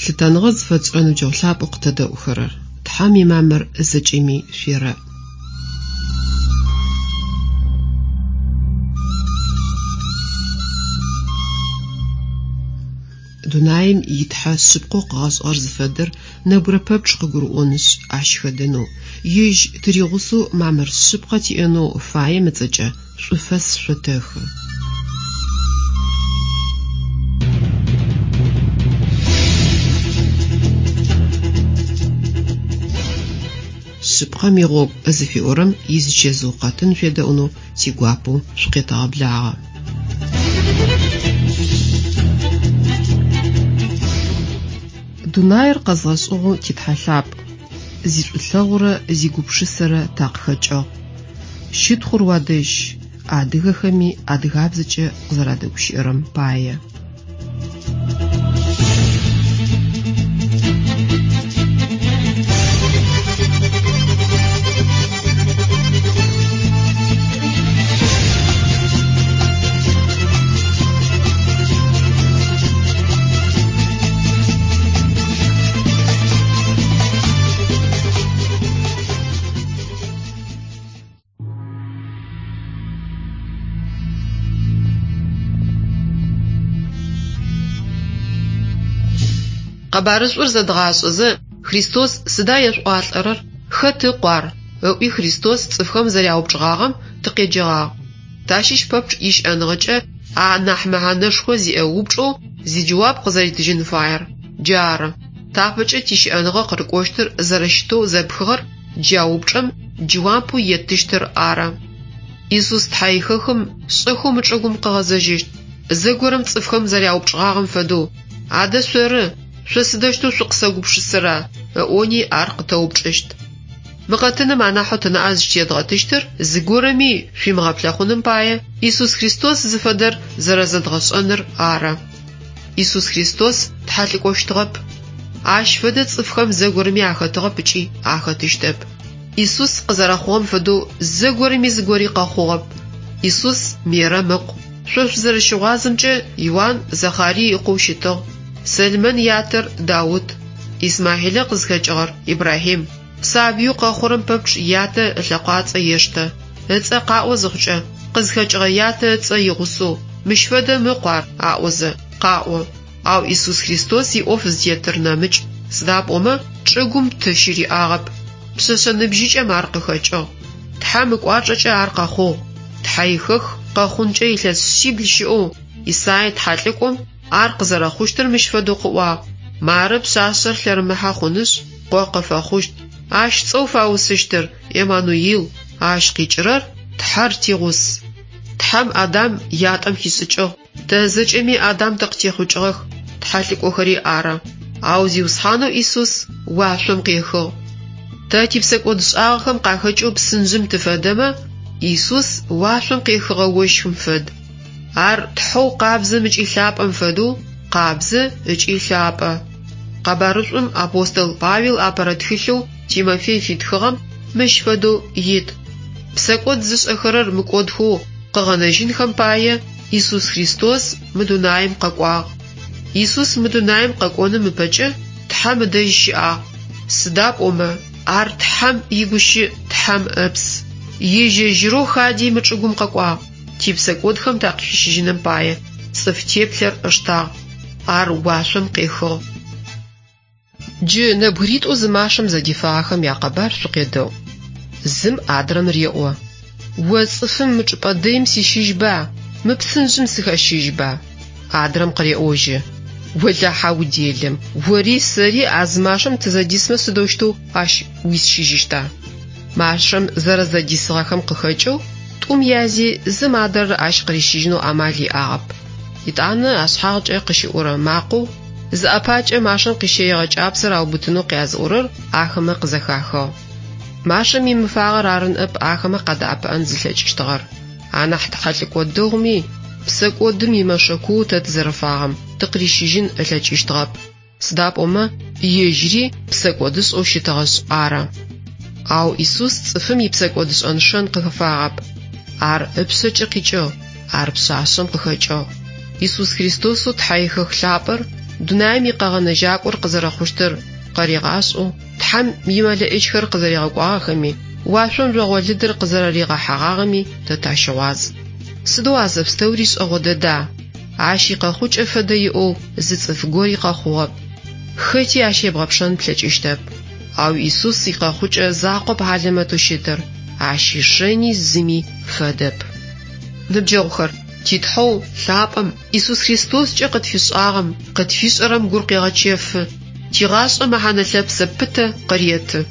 Лъытэныгъэ зыфэтшӏырэ ныбджэгъу лъапӏэу къытэдэӏухэрэр! Тхьэм имамыр зэкӏэми шъуерэӏ. Дунаим и Тхьэ шъыпкъэу къыгъэшӏыгъэр зыфэдэр нэбгырэ пэпчъ къыгурыӏонышъ, ащ хэдэнэу, Ежь тыригъусэу мамыр шъыпкъэ тиӏэнэу фаем ыцӏэкӏэ шӏуфэс шъотэхы. Шъыпкъэм игъогу зыфиӏорэм изычэзыу къэтын шъуедэӏунэу тигуапэу шъукъетэгъэблагъэ. Дунаир къэзгъэшӏыгъэу ти Тхьэ лъапӏ, зишӏулъэгъурэ зигупшысэрэ такъыхэкӏыгъ. Щытхъур уадэжь, адыгэхэми адыгабзэкӏэ къызэрадэгущыӏэрэм пае. Къэбарышӏур зэдгъашӏэзэ, Христос сыда ешъуӏуалӏэрэр, хэт ыкъу ар? ыӏуи Христос цӏыфхэм зэряупчӏыгъагъэм тыкъеджэгъагъ. Тащыщ пэпчъ ищыӏэныгъэкӏэ анахь мэхьанэшхо зиӏэ упчӏэу зиджэуап къызэритыжьын фаер джары. Тапэкӏэ тищыӏэныгъэ къырыкӏощтыр зэрэщытэу зэпхыгъэр джа упчӏэм джэуапэу еттыщтыр ары. Исус Тхьэихэхым шӏэхэу мы чӏыгум къыгъэзэжьыщт. Зэгорэм цӏыфхэм зэряупчӏыгъагъэм фэдэу, Адэ шъоры, шъо сыдэущтэу шъукъысэгупшысэра? ыӏони ар къытэупчӏыщт. Мы къэтыным анахьэу тынаӏэ зыщытедгъэтыщтыр зыгорэми шъуимыгъэплъэхъуным пае Исус Христос зыфэдэр зэрэзэдгъэшӏэныр ары. Исус Христос тхьэлӏыкӏощтыгъэп. Ащ фэдэ цӏыфхэм зэгорэми ахэтыгъэп ыкӏи ахэтыщтэп. Исус къызэрэхъугъэм фэдэу зэгорэми зыгори къэхъугъэп. Исус Мерэм ыкъу. Шъо шъузэрэщыгъуазэмкӏэ, Иуан Захарий ыкъоу щытыгъ. Сэлмэн ятэр Даут. Исмахьилэ къызхэкӏыгъэр Ибрахьим. Сабыеу къэхъурэм пэпчъ ятэ ылъэкъуацӏэ ештэ. Ыцӏэ къаӏо зыхъукӏэ, къызхэкӏыгъэ ятэ ыцӏэ игъусэу, Мыщ фэдэм ыкъу ар, аӏозэ, къаӏо. Ау Исус Христос иӏоф зытетыр нэмыкӏ, сыда пӏомэ чӏыгум ты щыриӏагъэп. Пшъэшъэ ныбжьыкӏэм ар къыхэкӏыгъ. Тхьэм ыкӏуачӏэкӏэ ар къэхъугъ. Тхьэихэх къэхъункӏэ илъэс шъибл щыӏэу Исай тхьэлӏыкӏом ар къызэрэхъущтыр мыщ фэдэу къыӏуагъ, Мары пшъашъэр лъэрымыхьэ хъунышъ, къо къыфэхъущт. Ащ цӏэу фаусыщтыр Еммануил, ащ къикӏырэр Тхьэр тигъус. Тхьэм Адам ятӏэм хишӏыкӏыгъ. Тэ зэкӏэми Адам тыкъытехъукӏыгъэх, тхьэлӏыкӏохэри ары. Ау Зиусхьанэу Исус уашъом къехыгъ. Тэ типсэкӏодшӏагъэхэм къахэкӏэу псынжъым тыфэдэмэ, Исус уашъом къехыгъэ ощхым фэд. Ар Тхьэу къабзэм ыкӏи лъапӏэм фэдэу къабзэ ыкӏи лъапӏэ. Къэбарышӏум апостол Павел апэрэ тхылъэу Тимофей фитхыгъэм мыщ фэдэу ит, Псэкӏод зышӏэхэрэр мыкӏодхэу къыгъэнэжьынхэм пае Исус Христос мы дунаим къэкӏуагъ. Исус мы дунаим къэкӏоным ыпэкӏэ Тхьэм ыдэжь щыӏагъ, сыда пӏомэ ар Тхьэм игущыӏ, Тхьэм Ыпс. Ежь-ежьырэу хади мы чӏыгум къэкӏуагъ, типсэкӏодхэм такъыхищыжьыным пае цӏыф теплъэр ыштагъ. Ар уашъом къехыгъ. Джы нэбгыритӏу зы машэм зэдифагъэхэм якъэбар шъукъедэӏу. Зым адрэм реӏо, О цӏыфым мы чӏыпӏэ дэим сищыжьба, мы псынжъым сыхэщыжьба? Адрэм къыреӏожьы, Олахьэ уделэм, ори сэри а зы машэм тызэдисмэ сыдэущтэу ащ уисщыжьыщта? Машэм зэрэзэдисыгъэхэм къыхэкӏэу тӏум язи зым адрэр ащ къырищыжьынэу амал иӏагъэп. Етӏанэ ашъхьагъкӏэ къыщыӏурэ макъэу Зыӏэпакӏэ машэм къищэигъэ кӏапсэр аубытынэу къязыӏорэр ахэмэ къызэхахыгъ. Машэм имыфагъэр ары ныӏэп ахэмэ къадэӏэпыӏэн зылъэкӏыщтыгъэр. Анахь тхьэлӏыкӏо дэгъуми, псэкӏодым имэшэ куу тэ тызэрыфагъэм тыкъырищыжьын ылъэкӏыщтыгъэп, сыда пӏомэ ежьыри псэкӏодышӏэу щытыгъэшъ ары. Ау Исус цӏыфым ипсэкӏодышӏэн шэн къыхэфагъэп. Ар ыпшъэкӏэ къикӏыгъ, ар пшъашъэм къыхэкӏыгъ. Исус Христосэу Тхьэихэх лъапӏэр дунаим икъэгъэнэжьакӏор къызэрэхъущтыр къаригъашӏэу Тхьэм имэлэӏичхэр къызэригъэкӏуагъэхэми, уашъом жъогъолыдыр къызэрэригъэхьэгъагъэми тэ тащыгъуаз. Сыдэу а зэпстэури шӏэгъо дэда! Ащ икъэхъукӏэ фэдэ иӏэу зы цӏыф гори къэхъугъэп. Хэти ащ ебгъэпшэн плъэкӏыщтэп. Ау Исус икъэхъукӏэ закъоп хьалэмэтэу щытыр, ащ ишэни зыми фэдэп. Ныбджэгъухэр, ти Тхьэу лъапӏэм Исус Христоскӏэ къытфишӏагъэм, къытфишӏэрэм гур къегъэчэфы, тигъашӏэ мэхьанэ лъэпсэ пытэ къыреты.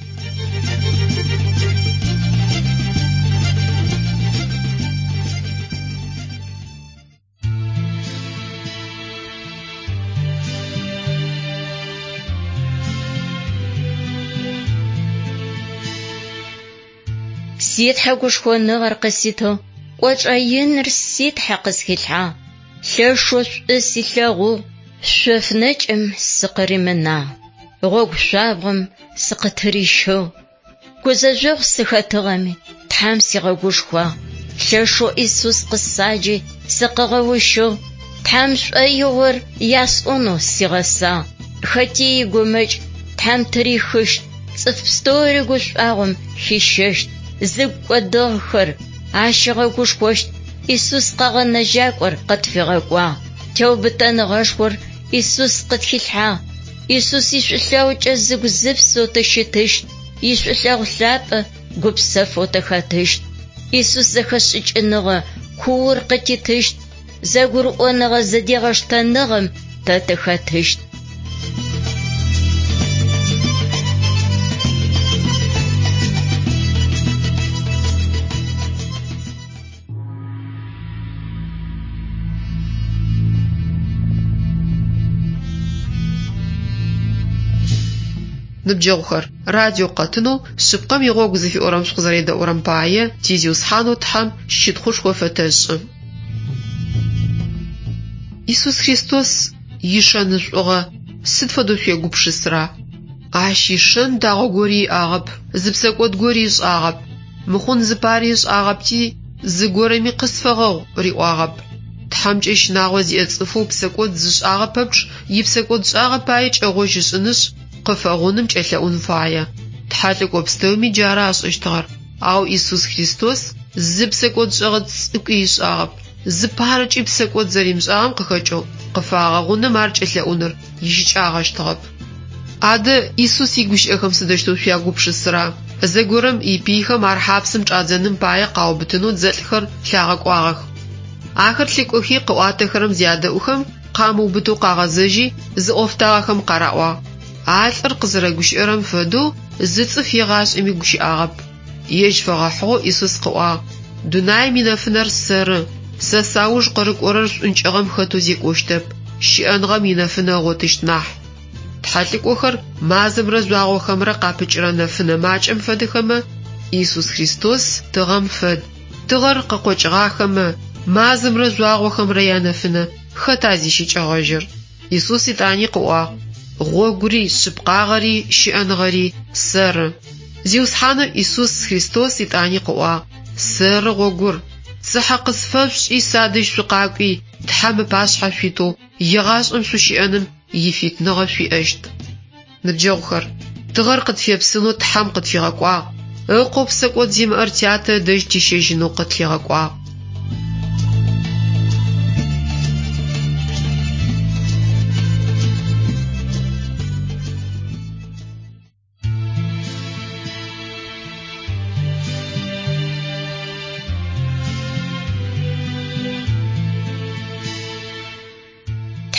Си Тхьэ гушхоныгъэр къыситыгъ, кӏочӏэ иныр си Тхьэ къысхилъхьагъ. Лъэшэу шӏу силъэгъугъ, шъоф нэкӏым сыкъыримынагъ, гъогу шъуабгъом сыкъытырищыгъ. Гузэжъогъу сыхэтыгъэми, Тхьэм сигъэгушхуагъ. Лъэшэу Исус къысаджи, сыкъыгъэущыгъ. Тхьэм шӏоигъор ясӏонэу сигъэсагъ. Хэти игумэкӏ Тхьэм тырихыщт, цӏыф пстэури гушӏуагъом хищэщт. Зыгу кӏодыгъэхэр ащ ыгъэгушхощт. Исус къэгъэнэжьакӏор къытфигъэкӏуагъ. Теубытэныгъэшхор Исус къытхилъхьагъ. Исус ишӏулъэгъукӏэ зыгу-зыпсэу тыщытыщт. Ишӏулъэгъу лъапӏэ гупсэфэу тыхэтыщт. Исус зэхэшӏыкӏыныгъэ куур къытитыщт. Зэгурыӏоныгъэ зэдегъэштэныгъэм тэ тыхэтыщт. Ныбджэгъухэр, радио къэтынэу Шъыпкъэм игъогу зыфиӏорэм шъукъызэредэӏурэм пае ти Зиусхьанэу Тхьэм щытхъушхо фэтэшӏы. Исус Христос ишэнышӏугъэ сыд фэдэу шъуегупшысыра? Ащ ишэн дагъо гори иӏагъэп, зы псэкӏод гори ышӏагъэп. Мыхъун зыпари ышӏагъэпти, зыгорэми къысфэгъэгъу риӏуагъэп. Тхьэмкӏэ щынагъо зиӏэ цӏыфэу псэкӏод зышӏагъэ пэпчъ ипсэкӏодшӏагъэ пае кӏэгъожь ышӏынышъ, къыфэгъуным кӏэлъэӏун фае. Тхьэлӏыкӏо пстэуми джары ашӏэщтыгъэр. Ау Исус Христос зы псэкӏодшӏэгъэ цӏыкӏуи ышӏагъэп. Зыпарэкӏи псэкӏод зэримышӏагъэм къыхэкӏэу къыфагъэгъуным ар кӏэлъэӏуныр ищыкӏагъэщтыгъэп. Адэ Исус игущыӏэхэм сыдэущтэу шъуягупшысыра? Зэгорэм ипыйхэм ар хьапсым чӏадзэным пае къаубытынэу дзэлӏхэр лъагъэкӏуагъэх. Ахэр лъыкӏохи къыӏуатэхэрэм зядэӏухэм, къамыубытэу къагъэзэжьи, зыӏофтагъэхэм къараӏуагъ. А лӏыр къызэрэгущыӏэрэм фэдэу зы цӏыф егъашӏэми гущыӏагъэп. Ежь фэгъэхьыгъэу Исус къыӏуагъ: Дунаим инэфынэр сэры. Сэ сауж къырыкӏорэр шӏункӏыгъэм хэтэу зекӏощтэп, щыӏэныгъэм инэфынэ ыгъотыщт нахь. Тхьэлӏыкӏохэр мазэмрэ жъуагъохэмрэ къапыкӏырэ нэфынэ макӏэм фэдэхэмэ, Исус Христос тыгъэм фэд. Тыгъэр къыкъокӏыгъахэмэ, мазэмрэ жъуагъохэмрэ янэфынэ хэта зищыкӏэгъэжьыр? Исус итӏани къыӏуагъ: Гъогури, шъыпкъагъэри, щыӏэныгъэри сэры. Зиусхьанэу Исус Христос итӏани къыӏуагъ: Сэры гъогур. Цыхьэ къысфэшъушӏи садэжь шъукъакӏуи, Тхьэм ыпашъхьэ шъуитэу егъашӏэм шъущыӏэным ифитныгъэ шъуиӏэщт. Ныбджэгъухэр, тыгъэр къытфепсынэу Тхьэм къытфигъэкӏуагъ. Ыкъоу псэкӏод зимыӏэр тятэ ыдэжь тищэжьынэу къытлъигъэкӏуагъ.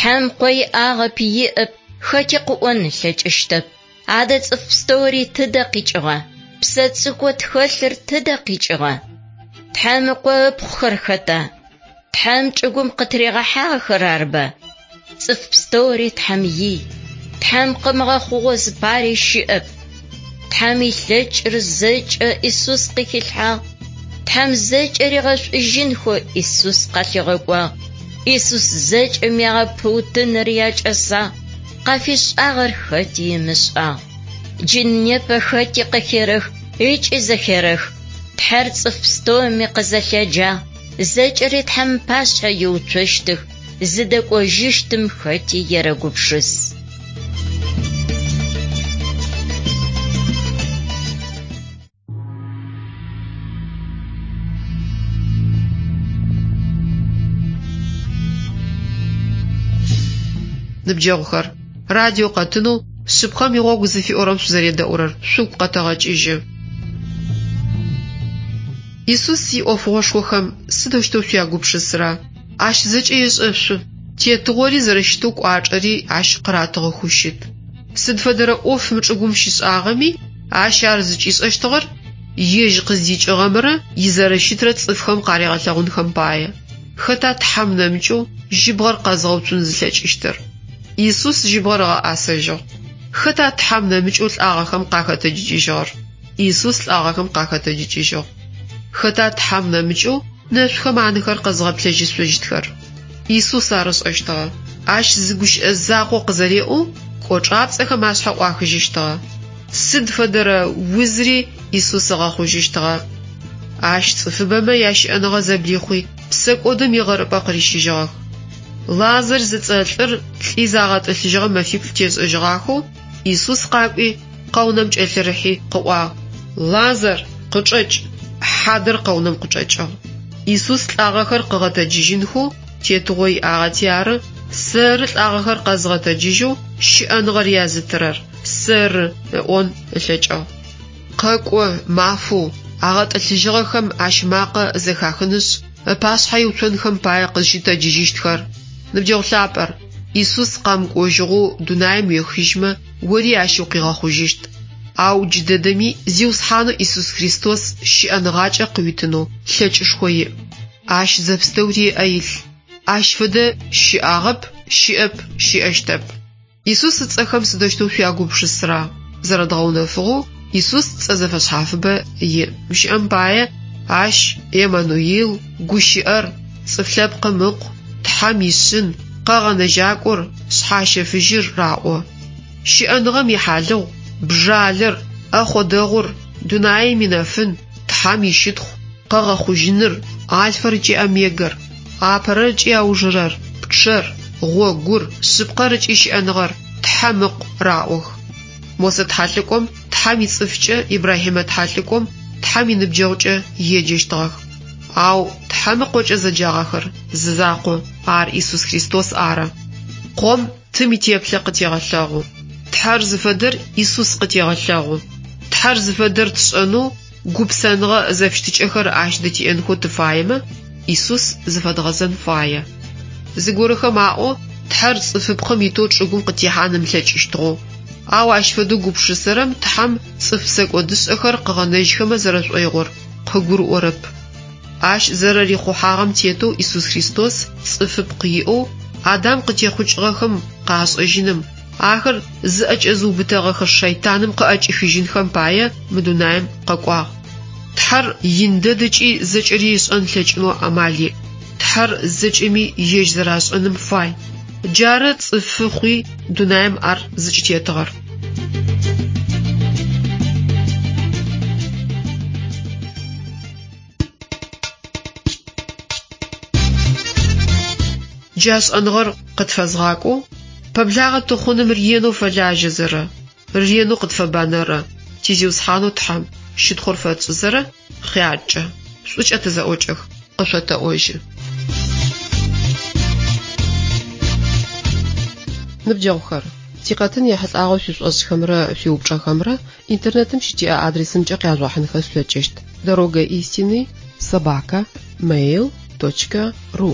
Тхьэм къо иӏагъэп, иӏэп, хэти къыӏон ылъэкӏыщтэп. Адэ цӏыф пстэури тыдэ къикӏыгъа? Псэ цӏыкӏоу тхэлъыр тыдэ къикӏыгъа? Тхьэм ыкъо ыпхъухэр хэта? Тхьэм чӏыгум къытыригъэхьагъэхэр арба? Цӏыф пстэури Тхьэм ий. Тхьэм къымыгъэхъугъэу зыпари щыӏэп. Тхьэм илъэкӏыр зэкӏэ Исус къыхилъхьагъ. Тхьэм зэкӏэ ригъэшӏужьынхэу Исус къалъигъэкӏуагъ. Исус зэкӏэми ягъэпыутыныр якӏэсагъ, къафишӏагъэр хэти ымышӏагъ. Джы непэ хэти къыхерэх ыкӏи зэхерэх. Тхьэр цӏыф пстэуми къызэлъэджагъ, зэкӏэри Тхьэм ыпашъхьэ иуцощтых. Зыдэкӏожьыщтым хэти ерэгупшыс. Ныбджэгъухэр, радио къэтынэу Шъыпкъэм игъогу зыфиӏорэм шъузэредэӏурэр шъугу къэтэгъэкӏыжьы. Исус иӏофыгъошхохэм сыдэущтэу шъуягупшысэра? Ащ зэкӏэ ешӏэшъу, тетыгъори зэрэщытэу кӏуачӏэри ащ къыратыгъэхэу щыт. Сыд фэдэрэ ӏоф мы чӏыгум щишӏагъэми, ащ ар зыкӏишӏэщтыгъэр ежь къыздикӏыгъэмрэ изэрэщытрэ цӏыфхэм къаригъэлъэгъунхэм пае. Хэта Тхьэм нэмыкӏэу жьыбгъэр къэзгъэуцун зылъэкӏыщтыр? Исус жьыбгъэр ыгъэӏасэжьыгъ. Хэта Тхьэм нэмыкӏэу лӏагъэхэм къахэтэджыкӏыжьыгъэр? Исус лӏагъэхэм къахэтэджыкӏыжьыгъ. Хэта Тхьэм нэмыкӏэу нэшъухэм анэхэр къэзгъэплъэжьышъущтхэр? Исус ар ышӏэщтыгъэ. Ащ зы гущыӏэ закъо къызэреӏоу кӏочӏапцӏэхэм ашъхьэ ӏуахыжьыщтыгъэ. Сыд фэдэрэ узри Исус ыгъэхъужьыщтыгъэ. Ащ цӏыфыбэмэ ящыӏэныгъэ зэблихъуи, псэкӏодым игъэрыпӏэ къырищыжьыгъэх. Лазарь зыцӏэ лӏыр лӏи загъэтӏылъыжьыгъэ мэфиплӏ тешӏэжьыгъахэу Исус къакӏуи, къэунэм кӏэлъырыхьи къыӏуагъ: Лазар, къычӏэкӏ! Хьадэр къэунэм къычӏэкӏыгъ. Исус лӏагъэхэр къыгъэтэджыжьынхэу тетыгъо иӏагъэти ары, Сэры лӏагъэхэр къэзгъэтэджыжьэу щыӏэныгъэр язытырэр, сэры, ыӏон ылъэкӏыгъ. Къэкӏо мафэу агъэтӏылъыжьыгъэхэм ащ макъэ зэхахынышъ, ыпашъхьэ иуцонхэм пае къызщытэджыжьыщтхэр. Ныбджэгъу лъапӏэр, Исус къэмыкӏожьыгъэу дунаим уехыжьмэ, ори ащ укъигъэхъужьыщт. Ау джыдэдэми Зиусхьанэу Исус Христос щыӏэныгъакӏэ къыуитынэу лъэкӏышхо иӏ. Ащ зэпстэури ыӏэ илъ. Ащ фэдэ щыӏагъэп, щыӏэп, щыӏэщтэп. Исус ыцӏэхэм сыдэущтэу шъуягупшысэра? Зэрэдгъэунэфыгъэу, Исус цӏэ зэфэшъхьафыбэ иӏ. Гущыӏэм пае, ащ Еммануил, Гущыӏэр, Цӏыф Лъэпкъым Ыкъу, Тхьэм ишъын, Къэгъэнэжьакӏор, Шъхьащэфыжьыр раӏо. Щыӏэныгъэм ихьалыгъу, бжалэр, ӏэхъо дэгъур, дунаим инэфын, Тхьэм ищытхъу, къэгъэхъужьыныр, Альфэр ыкӏи Омегэр, апэрэр ыкӏи аужырэр, пчъэр, гъогур, шъыпкъэр ыкӏи щыӏэныгъэр, Тхьэм Ыкъу раӏох. Мосэ тхьэлӏыкӏом Тхьэм ицӏыфкӏэ, Ибрахьимэ тхьэлӏыкӏом Тхьэм иныбджэгъукӏэ еджэщтыгъэх. Ау Тхьэм Ыкъокӏэ зэджагъэхэр зы закъу, ар Исус Христос ары. Къом Тым итеплъэ къытегъэлъэгъу. Тхьэр зыфэдэр Исус къытегъэлъэгъу. Тхьэр зыфэдэр тшӏэнэу, гупсэныгъэ зэфыщытыкӏэхэр ащ дытиӏэнхэу тыфаемэ, Исус зыфэдгъэзэн фае. Зыгорэхэм аӏо Тхьэр цӏыфыпкъым итэу чӏыгум къытехьан ымылъэкӏыщтыгъэу. Ау ащ фэдэу гупшысэрэм Тхьэм цӏыф псэкӏодышӏэхэр къыгъэнэжьхэмэ зэрэшӏоигъор къыгурыӏорэп. Ащ зэрэрихъухьагъэм тетэу Исус Христос цӏыфыпкъ иӏэу Адам къытехъукӏыгъэхэм къашӏэжьыным, ахэр зыӏэкӏэзыубытэгъэхэ шэйтаным къыӏэкӏихыжьынхэм пае мы дунаим къэкӏуагъ. Тхьэр ин дэд ыкӏи зэкӏэри ышӏэн ылъэкӏынэу амал иӏ. Тхьэр зэкӏэми ежь зэрашӏэным фай. Джары цӏыфы хъуи дунаим ар зыкӏытетыгъэр. Джа шӏэныгъэр къытфэзгъакӏоу, пэблагъэ тыхъуным ренэу фэлажьэзэрэ, ренэу къытфэбанэрэ ти Зиусхьанэу Тхьэм щытхъур фэтшӏызэрэ хъяркӏэ, шӏукӏэ тызэӏокӏэх, къышъотэӏожьы. Ныбджэгъухэр, тикъэтын ехьылӏагъэу шъуишӏошӏхэмрэ шъуиупчӏэхэмрэ Интернетым щытиӏэ адресымкӏэ къяжъугъэхьынхэ шъулъэкӏыщт: Дорога истины собака mail точка ру.